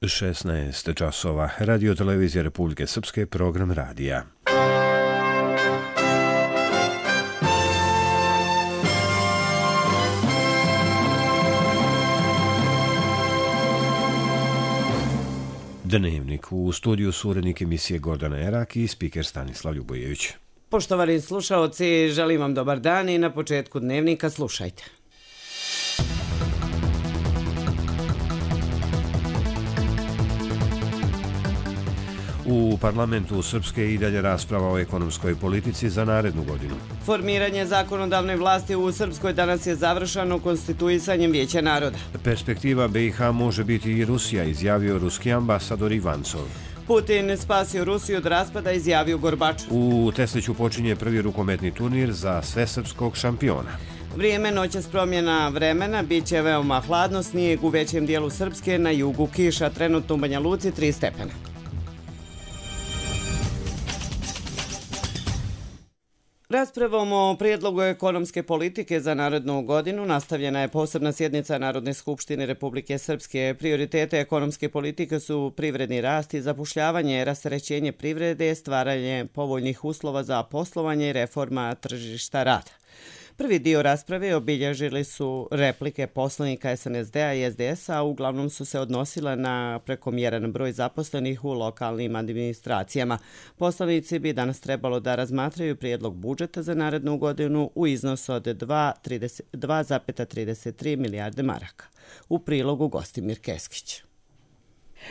16 časova. Radio televizija Republike Srpske, program radija. Dnevnik. U studiju su urednik emisije Gordana Erak i spiker Stanislav Ljubojević. Poštovani slušaoci, želim vam dobar dan i na početku dnevnika slušajte. U parlamentu Srpske i dalje rasprava o ekonomskoj politici za narednu godinu. Formiranje zakonodavne vlasti u Srpskoj danas je završeno konstituisanjem Vijeća naroda. Perspektiva BiH može biti i Rusija, izjavio ruski ambasador Ivancov. Putin spasio Rusiju od raspada, izjavio Gorbačov. U Tesliću počinje prvi rukometni turnir za svesrpskog šampiona. Vrijeme noćas promjena vremena, bit će veoma hladno, snijeg u većem dijelu Srpske, na jugu kiša, trenutno u Banja Luci 3 stepena. Raspravom o prijedlogu ekonomske politike za narednu godinu nastavljena je posebna sjednica Narodne skupštine Republike Srpske. Prioritete ekonomske politike su privredni rast i zapošljavanje, rasterećenje privrede, stvaranje povoljnih uslova za poslovanje i reforma tržišta rada. Prvi dio rasprave obilježili su replike poslanika SNSD-a i SDS-a, a uglavnom su se odnosile na prekomjeran broj zaposlenih u lokalnim administracijama. Poslanici bi danas trebalo da razmatraju prijedlog budžeta za narednu godinu u iznosu od 2,33 milijarde maraka. U prilogu Gostimir Keskić.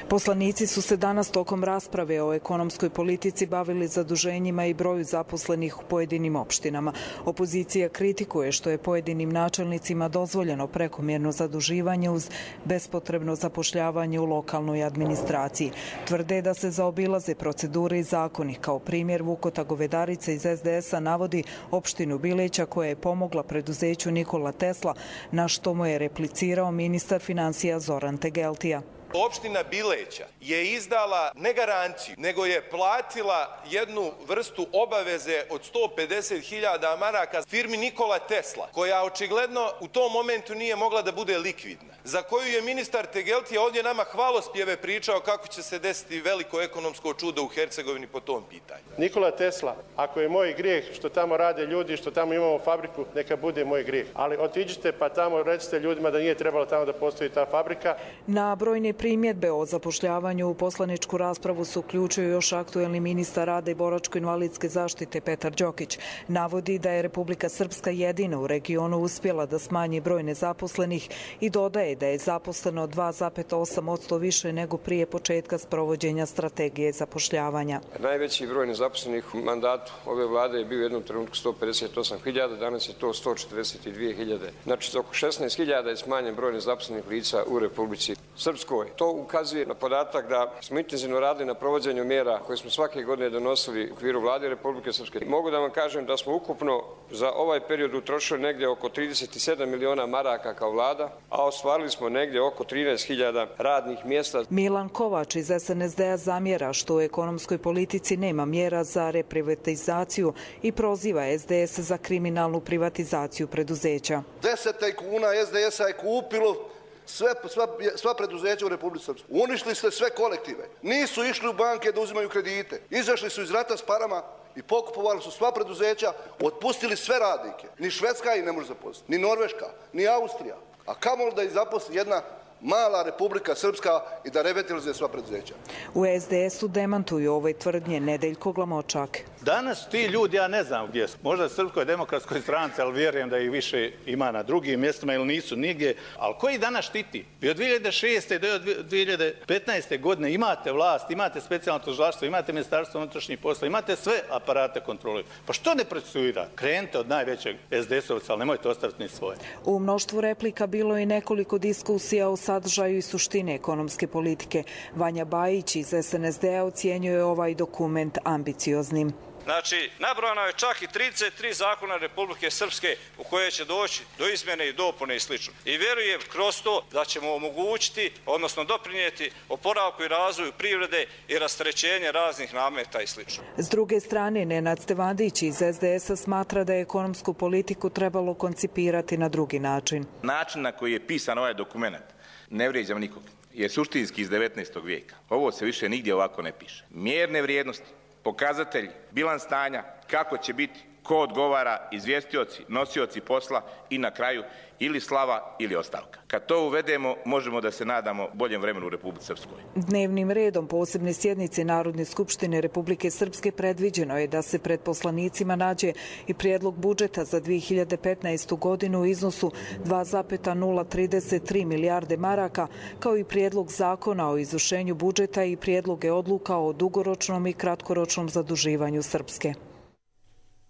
Poslanici su se danas tokom rasprave o ekonomskoj politici bavili zaduženjima i broju zaposlenih u pojedinim opštinama. Opozicija kritikuje što je pojedinim načelnicima dozvoljeno prekomjerno zaduživanje uz bespotrebno zapošljavanje u lokalnoj administraciji. Tvrde da se zaobilaze procedure i zakoni. Kao primjer, Vukota Govedarica iz SDS-a navodi opštinu Bileća koja je pomogla preduzeću Nikola Tesla, na što mu je replicirao ministar finansija Zoran Tegeltija. Opština Bileća je izdala ne garanciju, nego je platila jednu vrstu obaveze od 150.000 maraka firmi Nikola Tesla, koja očigledno u tom momentu nije mogla da bude likvidna, za koju je ministar Tegeltija ovdje nama hvalospjeve pričao kako će se desiti veliko ekonomsko čudo u Hercegovini po tom pitanju. Nikola Tesla, ako je moj grijeh što tamo rade ljudi, što tamo imamo fabriku, neka bude moj grijeh. Ali otiđite pa tamo recite ljudima da nije trebalo tamo da postoji ta fabrika. Na brojne primjedbe o zapošljavanju u poslaničku raspravu su uključio još aktuelni ministar rada i boračko-invalidske zaštite Petar Đokić. Navodi da je Republika Srpska jedina u regionu uspjela da smanji broj nezaposlenih i dodaje da je zaposleno 2,8% više nego prije početka sprovođenja strategije zapošljavanja. Najveći broj nezaposlenih u mandatu ove vlade je bio u jednom trenutku 158.000, danas je to 142.000. Znači oko 16.000 je smanjen broj nezaposlenih lica u Republici Srpskoj. To ukazuje na podatak da smo intenzivno radili na provođenju mjera koje smo svake godine donosili u okviru vlade Republike Srpske. Mogu da vam kažem da smo ukupno za ovaj period utrošili negdje oko 37 miliona maraka kao vlada, a ostvarili smo negdje oko 13.000 radnih mjesta. Milan Kovač iz SNSD-a zamjera što u ekonomskoj politici nema mjera za reprivatizaciju i proziva SDS za kriminalnu privatizaciju preduzeća. 10 tajkuna SDS-a je kupilo sva preduzeća u Republici Srpskoj. Uništili ste sve kolektive. Nisu išli u banke da uzimaju kredite. Izašli su iz rata s parama i pokupovali su sva preduzeća, otpustili sve radnike. Ni Švedska ih ne može zaposliti, ni Norveška, ni Austrija. A kamoli da ih zaposli jedna mala Republika Srpska i da revitalizuje sva preduzeća. U SDS-u demantuju ove tvrdnje Nedeljko Glamočak. Danas ti ljudi, ja ne znam gdje su, možda Srpskoj demokratskoj stranci, ali vjerujem da ih više ima na drugim mjestima ili nisu nigdje, ali koji danas štiti? Vi od 2006. do 2015. godine imate vlast, imate specijalno tužilaštvo, imate ministarstvo unutrašnjih poslova, imate sve aparate kontrole. Pa što ne procesuira? Krenite od najvećeg SDS-ovca, ali nemojte ostaviti ni svoje. U mnoštvu replika bilo je nekoliko diskusija o sadržaju i suštine ekonomske politike. Vanja Bajić iz SNSD-a ocjenjuje ovaj dokument ambicioznim. Znači, nabrojano je čak i 33 zakona Republike Srpske u koje će doći do izmjene i dopune i sl. I vjerujem kroz to da ćemo omogućiti, odnosno doprinijeti oporavku i razvoju privrede i rasterećenje raznih nameta i sl. S druge strane, Nenad Stevandić iz SDS-a smatra da je ekonomsku politiku trebalo koncipirati na drugi način. Način na koji je pisan ovaj dokument ne vrijeđam nikog. je suštinski iz 19. vijeka. Ovo se više nigdje ovako ne piše. Mjerne vrijednosti, pokazatelji, bilans stanja, kako će biti, ko odgovara, izvjestioci, nosioci posla i na kraju ili slava ili ostavka. Kad to uvedemo, možemo da se nadamo boljem vremenu u Republici Srpskoj. Dnevnim redom posebne sjednice Narodne skupštine Republike Srpske predviđeno je da se pred poslanicima nađe i prijedlog budžeta za 2015. godinu u iznosu 2,033 milijarde maraka, kao i prijedlog zakona o izvršenju budžeta i prijedloge odluka o dugoročnom i kratkoročnom zaduživanju Srpske.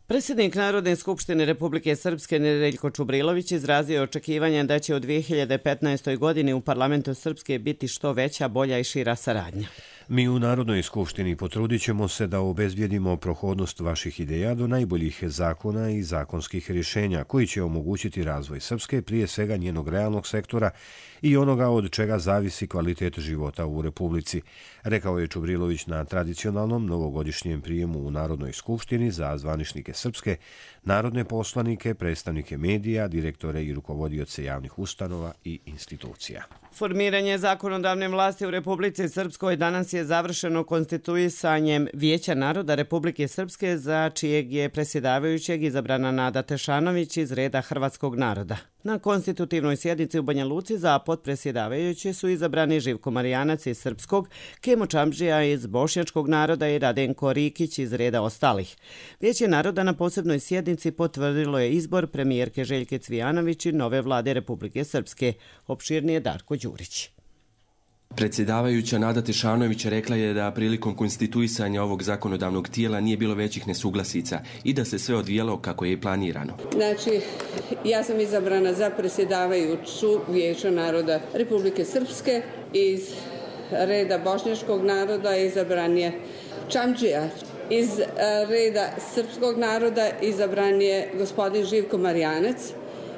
Predsjednik Narodne skupštine Republike Srpske Nedeljko Čubrilović izrazio očekivanje da će u 2015. godini u parlamentu Srpske biti što veća, bolja i šira saradnja. Mi u Narodnoj skupštini potrudit ćemo se da obezbijedimo prohodnost vaših ideja do najboljih zakona i zakonskih rješenja koji će omogućiti razvoj Srpske, prije svega njenog realnog sektora i onoga od čega zavisi kvalitet života u Republici, rekao je Čubrilović na tradicionalnom novogodišnjem prijemu u Narodnoj skupštini za zvaničnike Srpske, narodne poslanike, predstavnike medija, direktore i rukovodioce javnih ustanova i institucija. Formiranje zakonodavne vlasti u Republici Srpskoj danas je završeno konstituisanjem Vijeća naroda Republike Srpske, za čijeg je predsjedavajućeg izabrana Nada Tešanović iz reda hrvatskog naroda. Na konstitutivnoj sjednici u Banja Luci za potpredsjedavajuće su izabrani Živko Marijanac iz srpskog, Kemo Čamdžija iz bošnjačkog naroda i Radenko Rikić iz reda ostalih. Vijeće naroda na posebnoj sjednici potvrdilo je izbor premijerke Željke Cvijanović i nove vlade Republike Srpske. Opširnije Darko Đurić. Predsjedavajuća Nada Tešanović rekla je da prilikom konstituisanja ovog zakonodavnog tijela nije bilo većih nesuglasica i da se sve odvijalo kako je i planirano. Znači, ja sam izabrana za predsjedavajuću Vijeća naroda Republike Srpske. Iz reda bošnjačkog naroda izabran je Čamdžija. Iz reda srpskog naroda izabran je gospodin Živko Marijanac.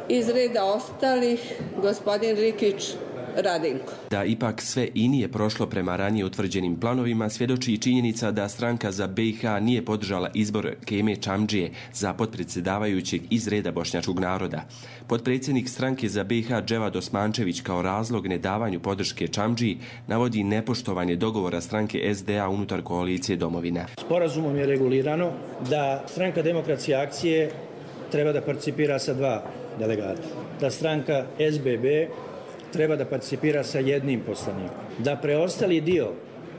Iz reda ostalih gospodin Rikić Radenko. Da ipak sve i nije prošlo prema ranije utvrđenim planovima svjedoči i činjenica da stranka za BiH nije podržala izbor Keme Čamdžije za potpredsjedavajućeg iz reda bošnjačkog naroda. Potpredsjednik stranke za BiH Dževad Osmančević kao razlog nedavanju podrške Čamdžiji navodi nepoštovanje dogovora stranke SDA unutar koalicije Domovina. Sporazumom je regulirano da stranka Demokratske akcije treba da participira sa 2 delegata. Da stranka SBB treba da participira sa 1 poslanikom. Da preostali dio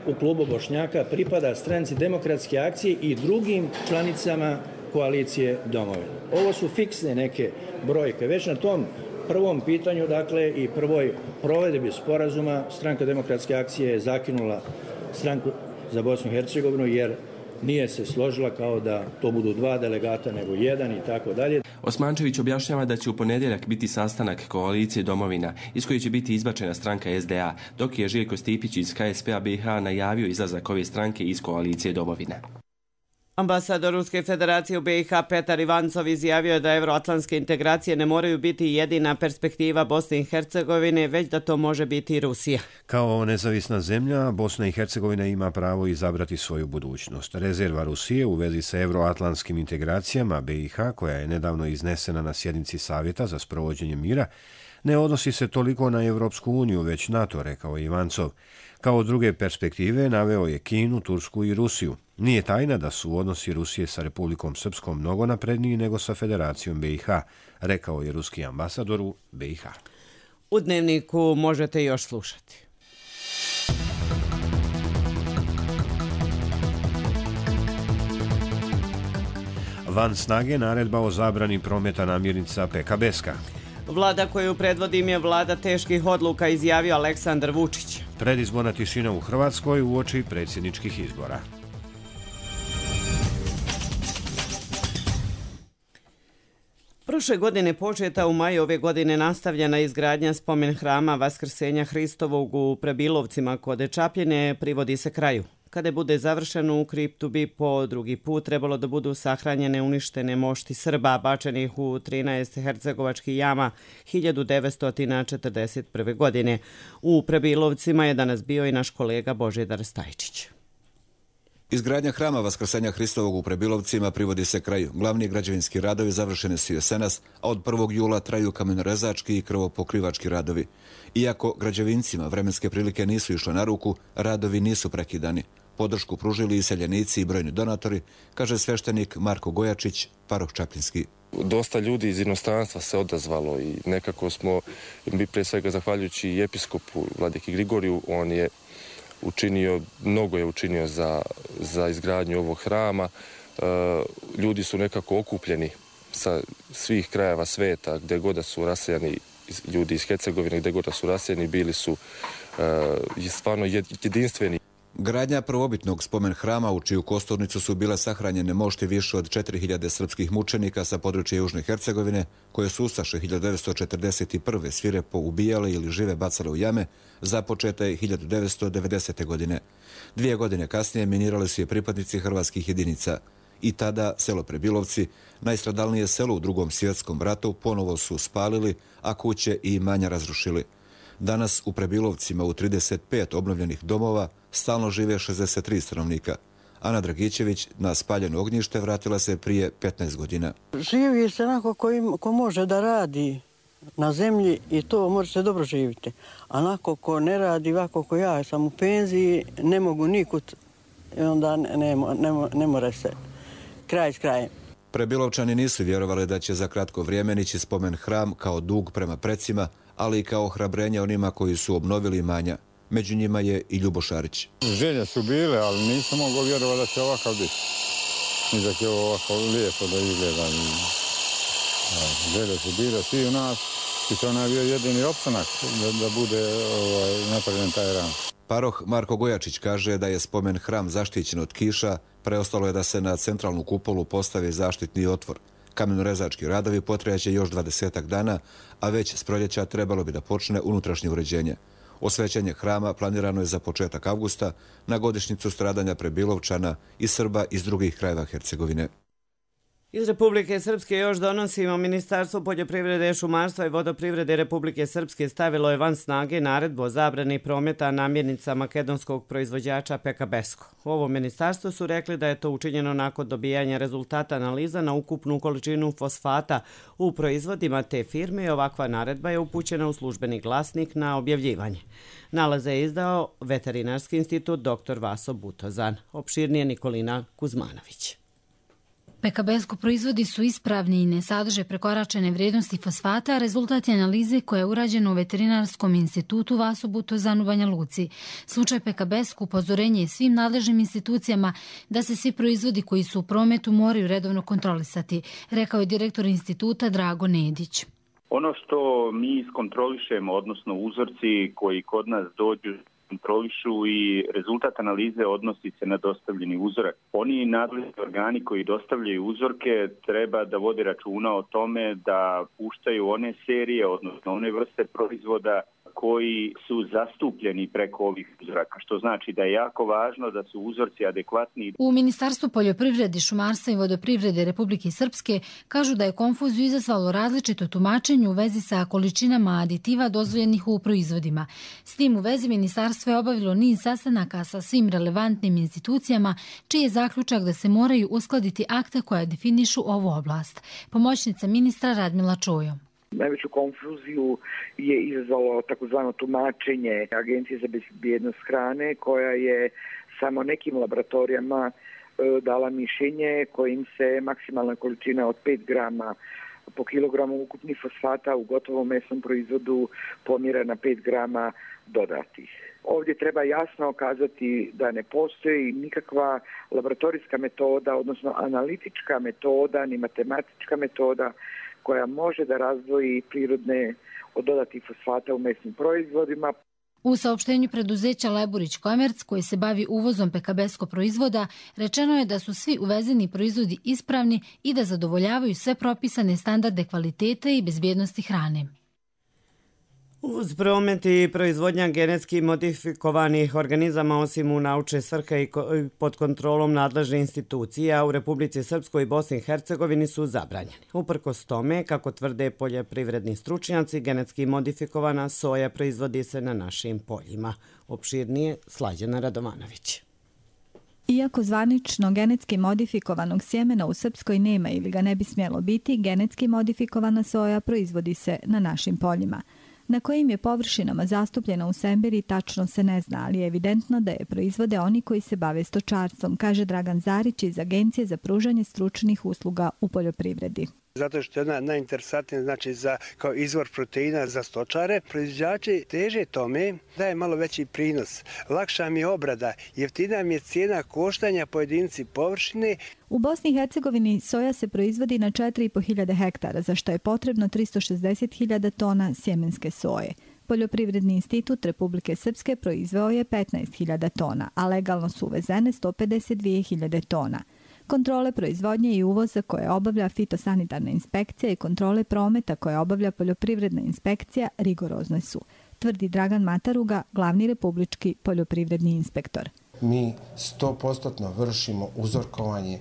u klubu Bošnjaka pripada stranci Demokratske akcije i drugim članicama koalicije Domovina. Ovo su fiksne neke brojke. Već na tom prvom pitanju, dakle, i prvoj provedbi sporazuma, stranka Demokratske akcije je zakinula stranku za Bosnu i Hercegovinu jer nije se složila kao da to budu 2 delegata nego 1 i tako dalje. Osmančević objašnjava da će u ponedjeljak biti sastanak koalicije Domovina iz koje će biti izbačena stranka SDA, dok je Željko Stipić iz HSP-a BiH najavio izlazak ove stranke iz koalicije Domovina. Ambasador Ruske federacije u BiH Petar Ivancov izjavio je da evroatlantske integracije ne moraju biti jedina perspektiva Bosne i Hercegovine, već da to može biti i Rusija. Kao nezavisna zemlja, Bosna i Hercegovina ima pravo izabrati svoju budućnost. Rezerva Rusije u vezi sa evroatlantskim integracijama BiH, koja je nedavno iznesena na sjednici Savjeta za sprovođenje mira, ne odnosi se toliko na Evropsku uniju, već NATO, rekao Ivancov. Kao druge perspektive naveo je Kinu, Tursku i Rusiju. Nije tajna da su odnosi Rusije sa Republikom Srpskom mnogo napredniji nego sa Federacijom BiH, rekao je ruski ambasador u BiH. U Dnevniku možete još slušati. Van snage naredba o zabrani prometa namirnica PKB-ska. Vlada koju predvodim je vlada teških odluka, izjavio Aleksandar Vučić. Predizborna tišina u Hrvatskoj uoči predsjedničkih izbora. Prošle godine početa, u maju ove godine nastavljena izgradnja spomen hrama Vaskrsenja Hristovog u Prebilovcima kod Čapljine privodi se kraju. Kada bude završeno, u kriptu bi po drugi put trebalo da budu sahranjene uništene mošti Srba bačenih u 13 hercegovačkih jama 1941. godine. U Prebilovcima je danas bio i naš kolega Božidar Stajčić. Izgradnja hrama Vaskrsenja Hristovog u Prebilovcima privodi se kraju. Glavni građevinski radovi završeni su jesenas, a od 1. jula traju kamenorezački i krvopokrivački radovi. Iako građevincima vremenske prilike nisu išle na ruku, radovi nisu prekidani. Podršku pružili i seljenici i brojni donatori, kaže sveštenik Marko Gojačić, paroh Čapljinski. Dosta ljudi iz inostranstva se odazvalo i nekako smo, mi prije svega zahvaljujući i episkopu Vladiki Grigoriju, on je učinio, mnogo je učinio za izgradnju ovog hrama. Ljudi su nekako okupljeni sa svih krajeva sveta, gdje god da su rasejani, ljudi iz Hercegovine, gdje god da su rasejani, bili su stvarno jedinstveni. Gradnja prvobitnog spomen hrama u čiju kosturnicu su bile sahranjene mošti više od 4000 srpskih mučenika sa područja Južne Hercegovine, koje su ustaše 1941. svirepo ubijale ili žive bacale u jame, započeta je 1990. godine. 2 godine kasnije minirali su je pripadnici hrvatskih jedinica. I tada selo Prebilovci, najstradalnije selo u Drugom svjetskom ratu, ponovo su spalili, a kuće i imanja razrušili. Danas u Prebilovcima u 35 obnovljenih domova stalno žive 63 stanovnika. Ana Dragićević na spaljeno ognjište vratila se prije 15 godina. Živi se onako ko može da radi na zemlji i to možete dobro živjeti. A onako ko ne radi, ovako ko ja sam u penziji, ne mogu nikud i onda ne more se kraj s krajem. Prebilovčani nisu vjerovali da će za kratko vrijeme nići spomen hram kao dug prema precima, ali i kao ohrabrenje onima koji su obnovili imanja. Među njima je i Ljubo Šarić. Želje su bile, ali nisam mogao vjerovati da će ovakav biti. I da će ovako lijepo da izgleda. Želje su bile svi u nas i to nam je bio jedini opstanak da bude napravljen taj hram. Paroh Marko Gojačić kaže da je spomen hram zaštićen od kiša, preostalo je da se na centralnu kupolu postavi zaštitni otvor. Kamenorezački radovi potrajaće još 20 dana, a već s proljeća trebalo bi da počne unutrašnje uređenje. Osvećenje hrama planirano je za početak avgusta na godišnjicu stradanja Prebilovčana i Srba iz drugih krajeva Hercegovine. Iz Republike Srpske još donosimo. Ministarstvo poljoprivrede, šumarstva i vodoprivrede Republike Srpske stavilo je van snage naredbu o zabrani prometa namirnica makedonskog proizvođača Pekabesko. U ovom ministarstvu su rekli da je to učinjeno nakon dobijanja rezultata analiza na ukupnu količinu fosfata u proizvodima te firme i ovakva naredba je upućena u službeni glasnik na objavljivanje. Nalaze je izdao Veterinarski institut dr. Vaso Butozan. Opširnije Nikolina Kuzmanović. Pekabesko proizvodi su ispravni i ne sadrže prekoračene vrijednosti fosfata, rezultat je analize koja je urađena u Veterinarskom institutu Vaso Butozan u Banja Luci. Slučaj Pekabesko upozorenje je svim nadležnim institucijama da se svi proizvodi koji su u prometu moraju redovno kontrolisati, rekao je direktor instituta Drago Nedić. Ono što mi iskontrolišemo, odnosno uzorci koji kod nas dođu, kontrolišu i rezultat analize odnosi se na dostavljeni uzorak. Oni nadležni organi koji dostavljaju uzorke treba da vode računa o tome da puštaju one serije, odnosno one vrste proizvoda koji su zastupljeni preko ovih uzoraka, što znači da je jako važno da su uzorci adekvatni. U Ministarstvu poljoprivrede, šumarstva i vodoprivrede Republike Srpske kažu da je konfuziju izazvalo različito tumačenje u vezi sa količinama aditiva dozvoljenih u proizvodima. S tim u vezi ministarstvo je obavilo niz sastanaka sa svim relevantnim institucijama, čiji je zaključak da se moraju uskladiti akta koja definišu ovu oblast. Pomoćnica ministra Radmila Čojo. Najveću konfuziju je izazvalo takozvano tumačenje Agencije za bezbjednost hrane, koja je samo nekim laboratorijama dala mišljenje kojim se maksimalna količina od 5 grama po kilogramu ukupnih fosfata u gotovom mesnom proizvodu pomjera na 5 grama dodatih. Ovdje treba jasno kazati da ne postoji nikakva laboratorijska metoda, odnosno analitička metoda, ni matematička metoda koja može da razdvoji prirodne od dodatih fosfata u mesnim proizvodima. U saopštenju preduzeća Leburić Komerc, koji se bavi uvozom Pekabesko proizvoda, rečeno je da su svi uvezeni proizvodi ispravni i da zadovoljavaju sve propisane standarde kvalitete i bezbjednosti hrane. Uz promet i proizvodnja genetski modifikovanih organizama, osim u naučne svrhe i pod kontrolom nadležne institucija, u Republici Srpskoj i Bosni i Hercegovini su zabranjeni. Uprkos tome, kako tvrde poljoprivredni stručnjaci, genetski modifikovana soja proizvodi se na našim poljima. Opširnije Slađana Radovanović. Iako zvanično genetski modifikovanog sjemena u Srpskoj nema ili ga ne bi smjelo biti, genetski modifikovana soja proizvodi se na našim poljima. Na kojim je površinama zastupljena u Sembiri tačno se ne zna, ali je evidentno da je proizvode oni koji se bave stočarstvom, kaže Dragan Zarić iz Agencije za pružanje stručnih usluga u poljoprivredi. Zato što je ona najinteresantnija, znači kao izvor proteina za stočare. Proizvođači teže tome da je malo veći prinos. Lakša mi je obrada, jeftina mi je cijena koštanja po jedinici površine. U Bosni i Hercegovini soja se proizvodi na 4.500 hektara, za što je potrebno 360.000 tona sjemenske soje. Poljoprivredni institut Republike Srpske proizveo je 15.000 tona, a legalno su uvezene 152.000 tona. Kontrole proizvodnje i uvoza koje obavlja fitosanitarna inspekcija i kontrole prometa koje obavlja poljoprivredna inspekcija rigorozne su, tvrdi Dragan Mataruga, glavni republički poljoprivredni inspektor. Mi 100% vršimo uzorkovanje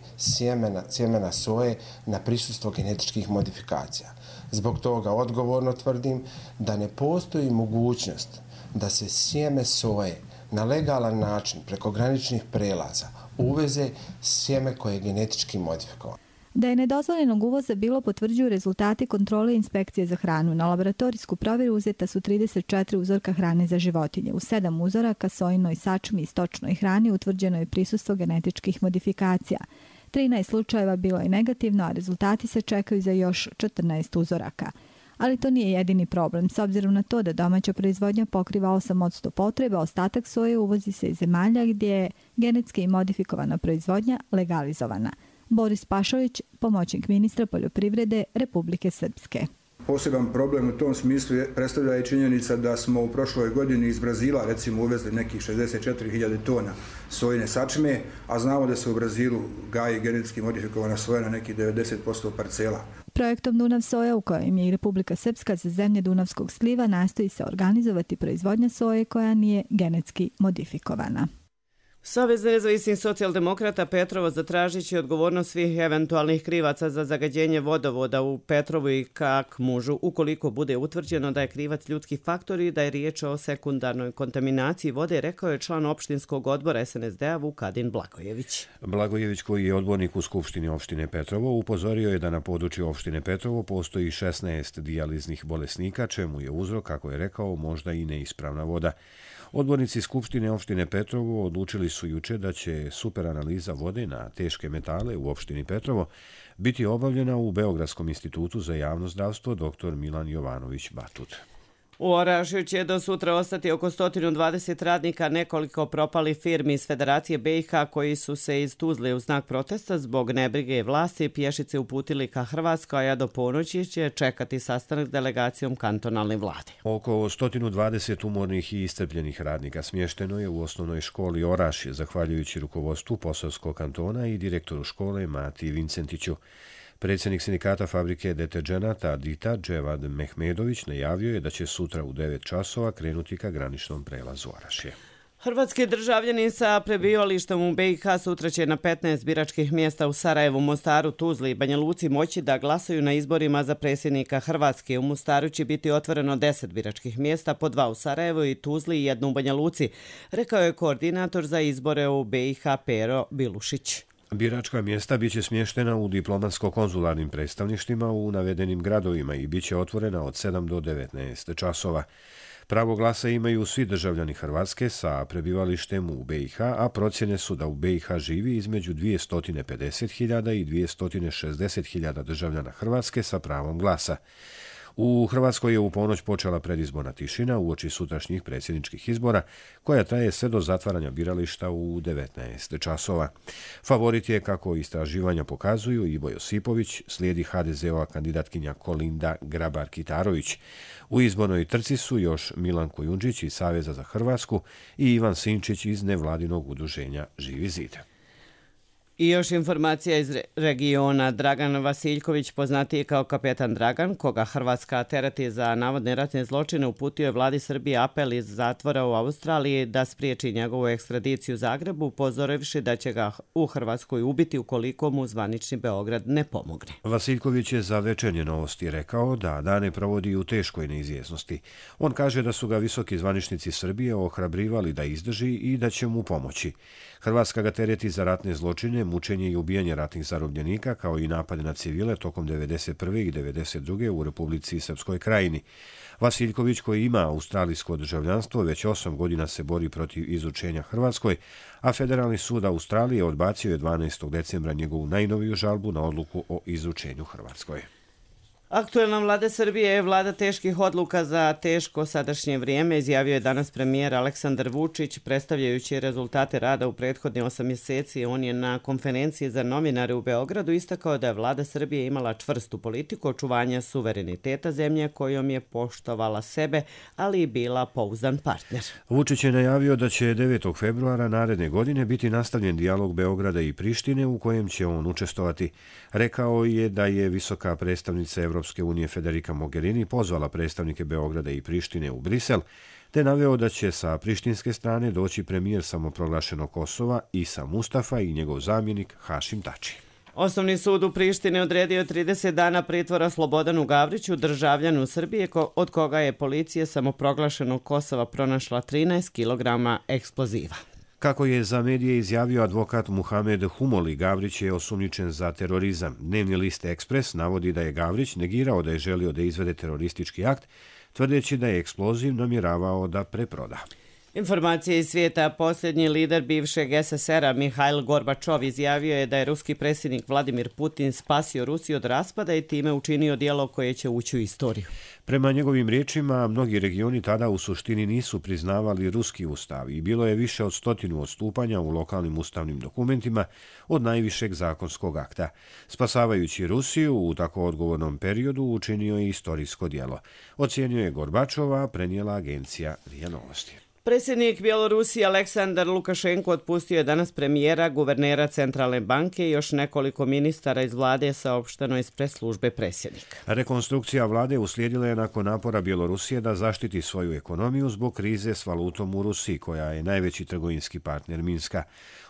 sjemena soje na prisustvo genetičkih modifikacija. Zbog toga odgovorno tvrdim da ne postoji mogućnost da se sjeme soje na legalan način preko graničnih prelaza uveze sjeme koje je genetički modifikovano. Da je nedozvoljenog uvoza bilo potvrđuju rezultati kontrole inspekcije za hranu. Na laboratorijsku provjeru uzeta su 34 uzorka hrane za životinje. U 7 uzoraka sojinoj sačmi i stočnoj hrani utvrđeno je prisustvo genetičkih modifikacija. 13 slučajeva bilo je negativno, a rezultati se čekaju za još 14 uzoraka. Ali to nije jedini problem. S obzirom na to da domaća proizvodnja pokriva 8% potreba, ostatak soje uvozi se iz zemalja gdje je genetski modifikovana proizvodnja legalizovana. Boris Pašović, pomoćnik ministra poljoprivrede Republike Srpske. Poseban problem u tom smislu predstavlja i činjenica da smo u prošloj godini iz Brazila recimo uvezli nekih 64.000 tona sojine sačme, a znamo da se u Brazilu gaji genetski modifikovana soja na nekih 90% parcela. Projektom Dunav soja, u kojem je i Republika Srpska za zemlje Dunavskog sliva, nastoji se organizovati proizvodnja soje koja nije genetski modifikovana. Savez nezavisnih socijaldemokrata Petrovo zatražit će odgovornost svih eventualnih krivaca za zagađenje vodovoda u Petrovu i Kakmužu, ukoliko bude utvrđeno da je krivac ljudski faktor i da je riječ o sekundarnoj kontaminaciji vode, rekao je član opštinskog odbora SNSD-a Vukadin Blagojević. Blagojević, koji je odbornik u Skupštini opštine Petrovo, upozorio je da na području opštine Petrovo postoji 16 dijaliznih bolesnika, čemu je uzrok, kako je rekao, možda i neispravna voda. Odbornici Skupštine opštine Petrovo odlučili su juče da će superanaliza vode na teške metale u opštini Petrovo biti obavljena u Beogradskom institutu za javno zdravstvo dr. Milan Jovanović Batut. U Orašju će do sutra ostati oko 120 radnika nekoliko propalih firmi iz Federacije BiH koji su se iz Tuzle u znak protesta zbog nebrige vlasti pješice uputili ka Hrvatskoj, a do ponoći će čekati sastanak s delegacijom kantonalne vlade. Oko 120 umornih i iscrpljenih radnika smješteno je u osnovnoj školi Orašje, zahvaljujući rukovodstvu Posavskog kantona i direktoru škole Mati Vincentiću. Predsjednik sindikata fabrike deterđenata Dita Dževad Mehmedović najavio je da će sutra u 9 časova krenuti ka graničnom prelazu Orašje. Hrvatski državljani sa prebivalištem u BiH sutra će na 15 biračkih mjesta u Sarajevu, Mostaru, Tuzli i Banja Luci moći da glasaju na izborima za predsjednika Hrvatske. U Mostaru će biti otvoreno 10 biračkih mjesta, po 2 u Sarajevu i Tuzli i 1 u Banja Luci, rekao je koordinator za izbore u BiH Pero Bilušić. Biračka mjesta biće smještena u diplomatsko-konzularnim predstavništvima u navedenim gradovima i biće otvorena od 7 do 19 časova. Pravo glasa imaju svi državljani Hrvatske sa prebivalištem u BiH, a procjene su da u BiH živi između 250.000 i 260.000 državljana Hrvatske sa pravom glasa. U Hrvatskoj je u ponoć počela predizborna tišina uoči sutrašnjih predsjedničkih izbora, koja traje sve do zatvaranja birališta u 19 časova. Favorit je, kako istraživanja pokazuju, Ivo Josipović, slijedi HDZ-ova kandidatkinja Kolinda Grabar-Kitarović. U izbornoj trci su još Milan Kujundžić iz Saveza za Hrvatsku i Ivan Sinčić iz nevladinog udruženja Živi zid. I još informacija iz regiona. Dragan Vasiljković, poznatiji kao kapetan Dragan, koga Hrvatska tereti za navodne ratne zločine, uputio je vladi Srbije apel iz zatvora u Australiji da spriječi njegovu ekstradiciju u Zagrebu, upozorivši da će ga u Hrvatskoj ubiti ukoliko mu zvanični Beograd ne pomogne. Vasiljković je za Večernje novosti rekao da dane provodi u teškoj neizvjesnosti. On kaže da su ga visoki zvaničnici Srbije ohrabrivali da izdrži i da će mu pomoći. Hrvatska ga tereti za ratne zločine, mučenje i ubijanje ratnih zarobljenika, kao i napade na civile tokom 1991. i 1992. u Republici Srpskoj Krajini. Vasiljković, koji ima australijsko državljanstvo, već 8 godina se bori protiv izučenja Hrvatskoj, a Federalni sud Australije odbacio je 12. decembra njegovu najnoviju žalbu na odluku o izučenju Hrvatskoj. Aktuelna vlada Srbije je vlada teških odluka za teško sadašnje vrijeme, izjavio je danas premijer Aleksandar Vučić, predstavljajući rezultate rada u prethodnih 8 mjeseci. On je na konferenciji za novinare u Beogradu istakao da je vlada Srbije imala čvrstu politiku očuvanja suvereniteta zemlje kojom je poštovala sebe, ali i bila pouzdan partner. Vučić je najavio da će 9. februara naredne godine biti nastavljen dijalog Beograda i Prištine u kojem će on učestvovati. Rekao je da je visoka predstavnica Evropske unije Federica Mogherini pozvala predstavnike Beograda i Prištine u Brisel, te naveo da će sa prištinske strane doći premijer samoproglašenog Kosova Isa Mustafa i njegov zamjenik Hašim Tači. Osnovni sud u Prištini odredio 30 dana pritvora Slobodanu Gavriću, državljanu Srbije, od koga je policija samoproglašenog Kosova pronašla 13 kg eksploziva. Kako je za medije izjavio advokat Muhamed Humoli, Gavrić je osumnjičen za terorizam. Dnevni list Ekspres navodi da je Gavrić negirao da je želio da izvede teroristički akt, tvrdeći da je eksploziv namjeravao da preproda. Informacije iz svijeta. Posljednji lider bivšeg SSR-a Mihail Gorbačov izjavio je da je ruski predsjednik Vladimir Putin spasio Rusiju od raspada i time učinio djelo koje će ući u istoriju. Prema njegovim riječima, mnogi regioni tada u suštini nisu priznavali ruski ustav i bilo je više od 100 odstupanja u lokalnim ustavnim dokumentima od najvišeg zakonskog akta. Spasavajući Rusiju u tako odgovornom periodu učinio je istorijsko djelo. Ocijenio je Gorbačova, prenijela agencija RIA Novosti. Predsjednik Bjelorusije Aleksandar Lukašenko otpustio je danas premijera, guvernera Centralne banke i još nekoliko ministara iz vlade, saopšteno iz press-službe predsjednika. Rekonstrukcija vlade uslijedila je nakon napora Bjelorusije da zaštiti svoju ekonomiju zbog krize s valutom u Rusiji, koja je najveći trgovinski partner Minska.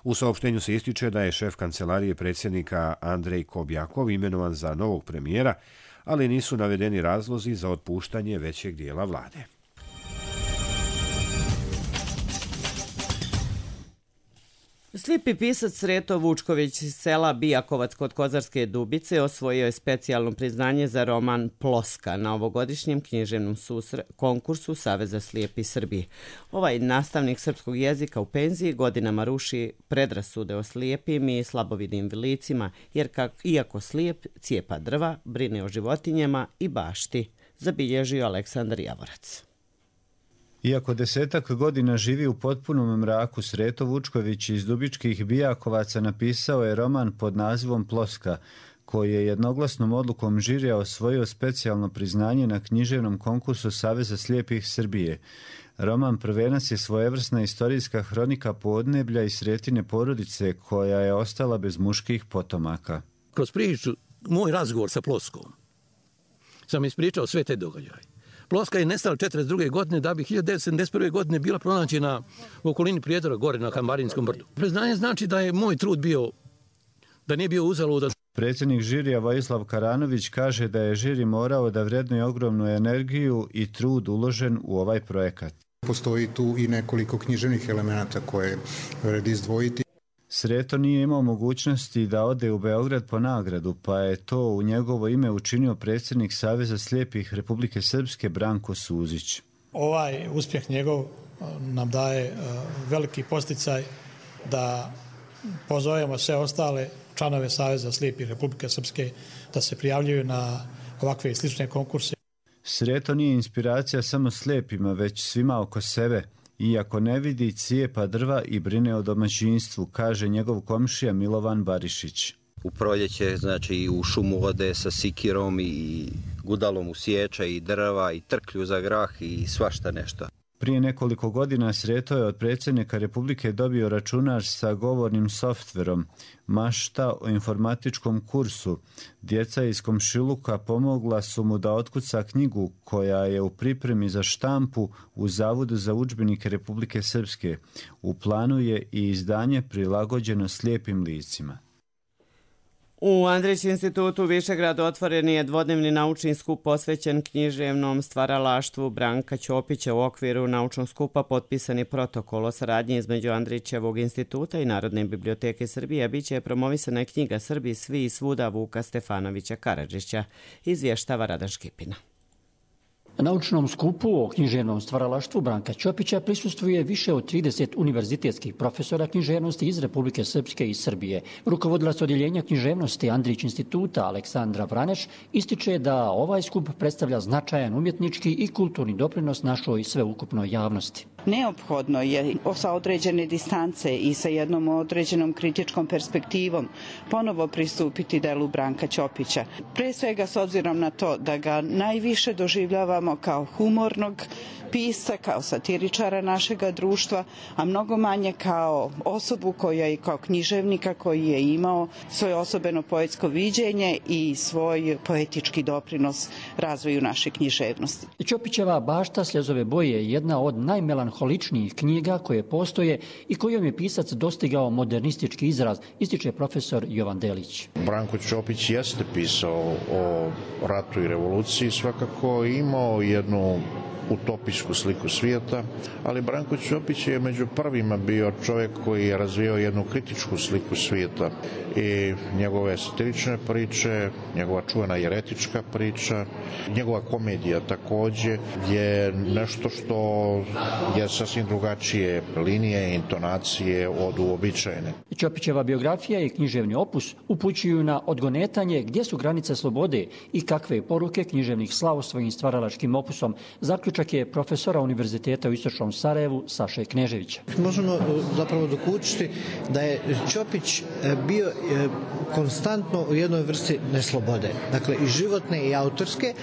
U saopštenju se ističe da je šef kancelarije predsjednika Andrej Kobjakov imenovan za novog premijera, ali nisu navedeni razlozi za otpuštanje većeg dijela vlade. Slijepi pisac Sreto Vučković iz sela Bijakovac kod Kozarske Dubice osvojio je specijalno priznanje za roman Ploska na ovogodišnjem književnom konkursu Saveza slijepih Srbije. Ovaj nastavnik srpskog jezika u penziji godinama ruši predrasude o slijepim i slabovidnim licima, jer iako slijep cijepa drva, brine o životinjama i bašti, zabilježio Aleksandar Javorac. Iako 10 godina živi u potpunom mraku, Sreto Vučković iz Dubičkih Bijakovaca napisao je roman pod nazivom Ploska, koji je jednoglasnom odlukom žirija osvojio specijalno priznanje na književnom konkursu Saveza slijepih Srbije. Roman prvenac je svojevrsna istorijska hronika podneblja i Sretine porodice koja je ostala bez muških potomaka. Kroz priču, moj razgovor sa Ploskom, sam ispričao sve te događaje. Ploska je nestala 1942. godine da bi 1971. godine bila pronađena u okolini Prijedora gore na Kambarinskom brdu. Priznanje znači da je moj trud bio, da nije bio uzaludan. Predsjednik žirija Vojislav Karanović kaže da je žiri morao da vrednuje ogromnu energiju i trud uložen u ovaj projekat. Postoji tu i nekoliko književnih elemenata koje vredi izdvojiti. Sreto nije imao mogućnosti da ode u Beograd po nagradu, pa je to u njegovo ime učinio predsjednik Saveza slijepih Republike Srpske Branko Suzić. Ovaj uspjeh njegov nam daje veliki posticaj da pozovemo sve ostale članove Saveza slijepih Republike Srpske da se prijavljuju na ovakve slične konkurse. Sreto nije inspiracija samo slijepima, već svima oko sebe. Iako ne vidi, cijepa drva i brine o domaćinstvu, kaže njegov komšija Milovan Barišić. U proljeće, znači u šumu ode sa sikirom i gudalom usjeća i drva i trklju za grah i svašta nešto. Prije nekoliko godina Sreto je od predsjednika Republike dobio računar sa govornim softverom, mašta o informatičkom kursu. Djeca iz komšiluka pomogla su mu da otkuca knjigu koja je u pripremi za štampu u Zavodu za udžbenike Republike Srpske. U planu je i izdanje prilagođeno slijepim licima. U Andrić institutu u Višegradu otvoren je dvodnevni naučni skup posvećen književnom stvaralaštvu Branka Ćopića. U okviru naučnog skupa potpisan je protokol o saradnji između Andrićevog instituta i Narodne biblioteke Srbije, a bit će promovisana knjiga Srbi svi i svuda Vuka Stefanovića Karadžića, izvještava Radan Škipina. Naučnom skupu o književnom stvaralaštvu Branka Ćopića prisustvuje više od 30 univerzitetskih profesora književnosti iz Republike Srpske i Srbije. Rukovodilac odjeljenja književnosti Andrić instituta Aleksandra Vraneš ističe da ovaj skup predstavlja značajan umjetnički i kulturni doprinos našoj sveukupnoj javnosti. Neophodno je sa određene distance i sa jednom određenom kritičkom perspektivom ponovo pristupiti delu Branka Ćopića. Pre svega s obzirom na to da ga najviše doživljavamo kao humornog pisca, kao satiričara našega društva, a mnogo manje kao osobu koja je kao književnika koji je imao svoje osobeno poetsko viđenje i svoj poetički doprinos razvoju naše književnosti. Ćopićeva Bašta Sljezove boje je jedna od najmelanholičnijih knjiga koje postoje i kojom je pisac dostigao modernistički izraz, ističe profesor Jovan Delić. Branko Ćopić jeste pisao o ratu i revoluciji, svakako imao jednu utopijsku sliku svijeta, ali Branko Ćopić je među prvima bio čovjek koji je razvijao jednu kritičku sliku svijeta i njegove satirične priče, njegova čuvena jeretička priča, njegova komedija također je nešto što je sasvim drugačije linije i intonacije od uobičajene. Ćopićeva biografija i književni opus upućuju na odgonetanje gdje su granice slobode i kakve poruke književnih slao svojim stvaralačkim opusom, zaključak je profesora Univerziteta u Istočnom Sarajevu Saše Kneževića. Možemo zapravo dokučiti da je Ćopić bio konstantno u jednoj vrsti neslobode, dakle i životne i autorske,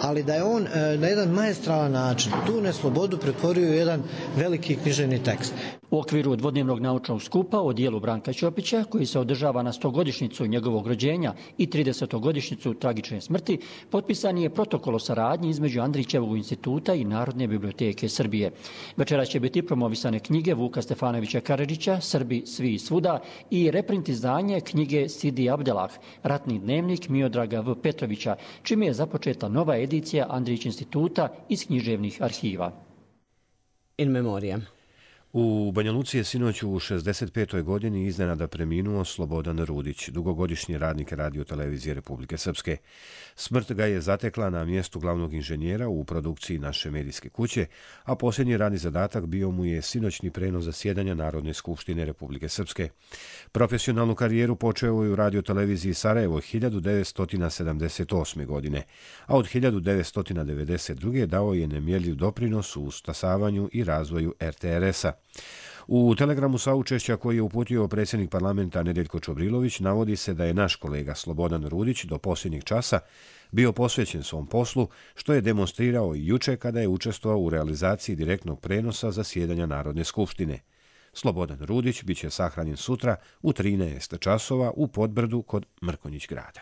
ali da je on na jedan maestralan način tu neslobodu pretvorio u jedan veliki književni tekst. U okviru dvodnevnog naučnog skupa o dijelu Branka Ćopića, koji se održava na 100-godišnjicu njegovog rođenja i 30-godišnjicu tragične smrti, potpisan je protokol o saradnji između Andrićevog instituta i Narodne biblioteke Srbije. Večeras će biti promovisane knjige Vuka Stefanovića Karadžića, Srbi svi i svuda, i reprint izdanje knjige Sidi Abdelah, Ratni dnevnik Miodraga V. Petrovića, čime je započeta nova edicija Andrić instituta iz književnih arhiva. In memoriam. U Banja Luci je sinoć u 65. godini iznenada preminuo Slobodan Rudić, dugogodišnji radnik Radio-televizije Republike Srpske. Smrt ga je zatekla na mjestu glavnog inženjera u produkciji naše medijske kuće, a posljednji radni zadatak bio mu je sinoćni prenos zasjedanja Narodne skupštine Republike Srpske. Profesionalnu karijeru počeo je u Radio-televiziji Sarajevo 1978. godine, a od 1992. dao je nemjerljiv doprinos u stasavanju i razvoju RTRS-a. U telegramu saučešća koji je uputio predsjednik parlamenta Nedeljko Čobrilović navodi se da je naš kolega Slobodan Rudić do posljednjeg časa bio posvećen svom poslu, što je demonstrirao i juče kada je učestvovao u realizaciji direktnog prenosa zasjedanja Narodne skupštine. Slobodan Rudić bit će sahranjen sutra u 13 časova u Podbrdu kod Mrkonjić grada.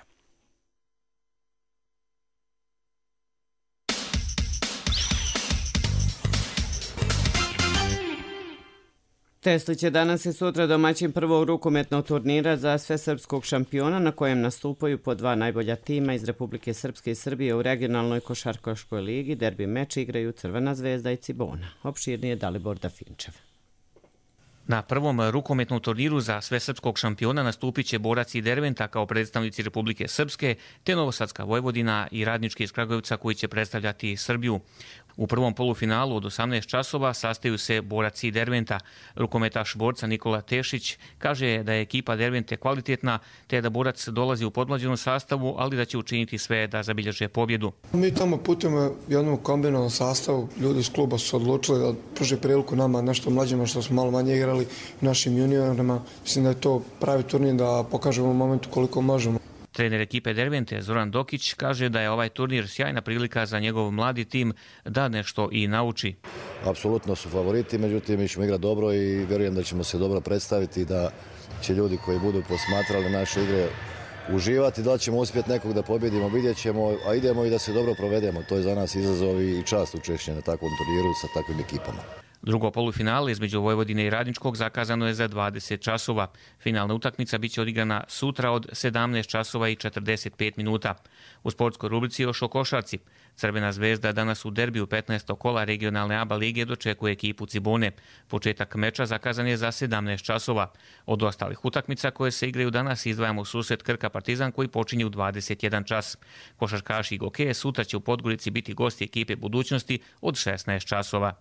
Teslić je danas i sutra domaćin prvog rukometnog turnira za svesrpskog šampiona na kojem nastupaju po dva najbolja tima iz Republike Srpske i Srbije u regionalnoj košarkaškoj ligi. Derbi meč igraju Crvena zvezda i Cibona. Opširnije Dalibor Dafinčev. Na prvom rukometnom turniru za svesrpskog šampiona nastupit će borac i Derventa kao predstavnici Republike Srpske, te Novosadska Vojvodina i Radnički iz Kragujevca koji će predstavljati Srbiju. U prvom polufinalu od 18 časova sastaju se borac i Derventa. Rukometaš borca Nikola Tešić kaže da je ekipa Dervente kvalitetna, te da borac dolazi u podmlađenom sastavu, ali da će učiniti sve da zabilježe pobjedu. Mi tamo putujemo jednom kombinovanom sastavu. Ljudi iz kluba su odlučili da pruže priliku nama nešto mlađima što smo malo manje igrali, našim juniorima. Mislim da je to pravi turnir da pokažemo u momentu koliko možemo. Trener ekipe Dervente Zoran Dokić kaže da je ovaj turnir sjajna prilika za njegov mladi tim da nešto i nauči. apsolutno su favoriti, međutim mi ćemo igrati dobro i vjerujem da ćemo se dobro predstaviti i da će ljudi koji budu posmatrali naše igre uživati. Da li ćemo uspjeti nekog da pobjedimo, vidjet ćemo, a idemo i da se dobro provedemo. To je za nas izazov i čast učešće na takvom turniru sa takvim ekipama. Drugo polufinale između Vojvodine i Radničkog zakazano je za 20 časova. Finalna utakmica biće odigrana sutra od 17 časova i 45 minuta. U sportskoj rubrici još o košarci. Crvena zvezda danas u derbiju 15. kola regionalne ABA lige dočekuje ekipu Cibone. Početak meča zakazan je za 17 časova. Od ostalih utakmica koje se igraju danas izdvajamo susret Krka Partizan koji počinje u 21 čas. Košarkaši i gokeje sutra će u Podgorici biti gosti ekipe Budućnosti od 16 časova.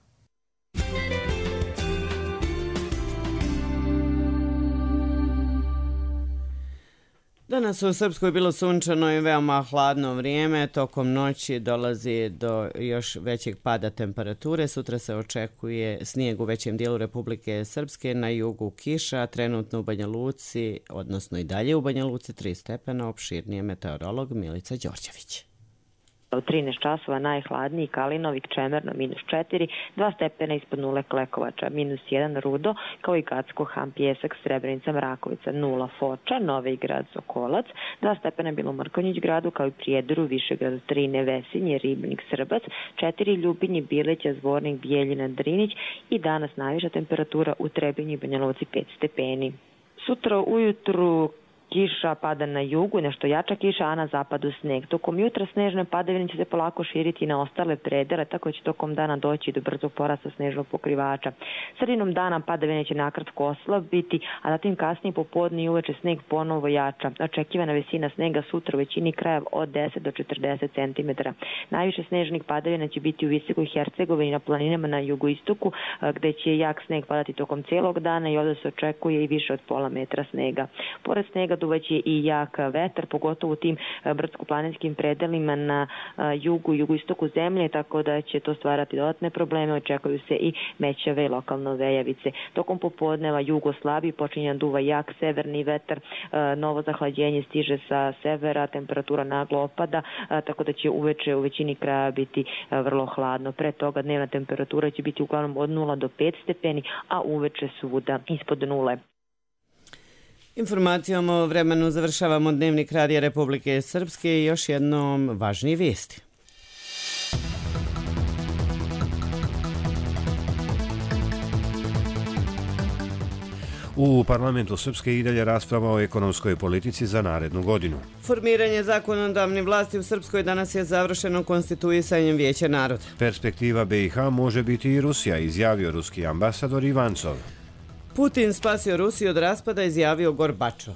Danas u Srpskoj bilo sunčano i veoma hladno vrijeme. Tokom noći dolazi do još većeg pada temperature. Sutra se očekuje snijeg u većem dijelu Republike Srpske, na jugu kiša, trenutno u Banja Luci, odnosno i dalje u Banja Luci 3 stepena, opširnije meteorolog Milica Đorđević. U 13 časova najhladniji Kalinovik, Čemerno -4, 2 stepena ispod nule Klekovača, -1 Rudo, kao i Gacko, Ham, Pjesak, Srebrenica, Mrakovica, 0 Foča, Novi Grad, Sokolac, 2 stepena bilo u Mrkonjić gradu, kao i Prijedoru, Višegradu, 3 Nevesinje, Ribnik, Srbac, 4 Ljubinji, Bileća, Zvornik, Bijeljina, Drinić i danas najviša temperatura u Trebinju i Banja Luci 5 stepeni. Sutra ujutru kiša pada na jugu, nešto jača kiša, a na zapadu sneg. Tokom jutra snežne padavine će se polako širiti na ostale predele, tako će tokom dana doći do brzog porasta snežnog pokrivača. Sredinom dana padavine će nakratko oslabiti, a zatim kasnije popodne i uveče sneg ponovo jača. Očekivana visina snega sutra u većini krajeva od 10 do 40 cm. Najviše snežnih padavina će biti u Visokoj Hercegovini na planinama na jugoistoku, gde će jak sneg padati tokom cijelog dana i ovdje se očekuje i više od pola metra snega. Pored snega duvaće i jak vetar, pogotovo u tim brdsko-planinskim predelima na jugu i jugoistoku zemlje, tako da će to stvarati dodatne probleme. Očekuju se i mećave i lokalno vejavice. Tokom popodneva jugo slabi, počinje duva jak severni vetar, novo zahlađenje stiže sa severa, temperatura naglo opada, tako da će uveče u većini kraja biti vrlo hladno. Pre toga dnevna temperatura će biti uglavnom od 0 do 5 stepeni, a uveče svuda ispod nule. Informacijom o vremenu završavamo Dnevnik Radija Republike Srpske i još jednom važnije vijesti. U parlamentu Srpske i dalje rasprava o ekonomskoj politici za narednu godinu. Formiranje zakonodavne vlasti u Srpskoj danas je završeno konstituisanjem Vijeća naroda. Perspektiva BiH može biti i Rusija, izjavio ruski ambasador Ivancov. Putin spasio Rusiju od raspada, izjavio Gorbačov.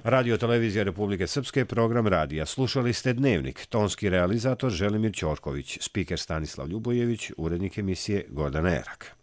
Radio Televizija Republike Srpske, program radija. Slušali ste Dnevnik. Tonski realizator Želimir Ćorković, spiker Stanislav Ljubojević, urednik emisije Gordana Erak.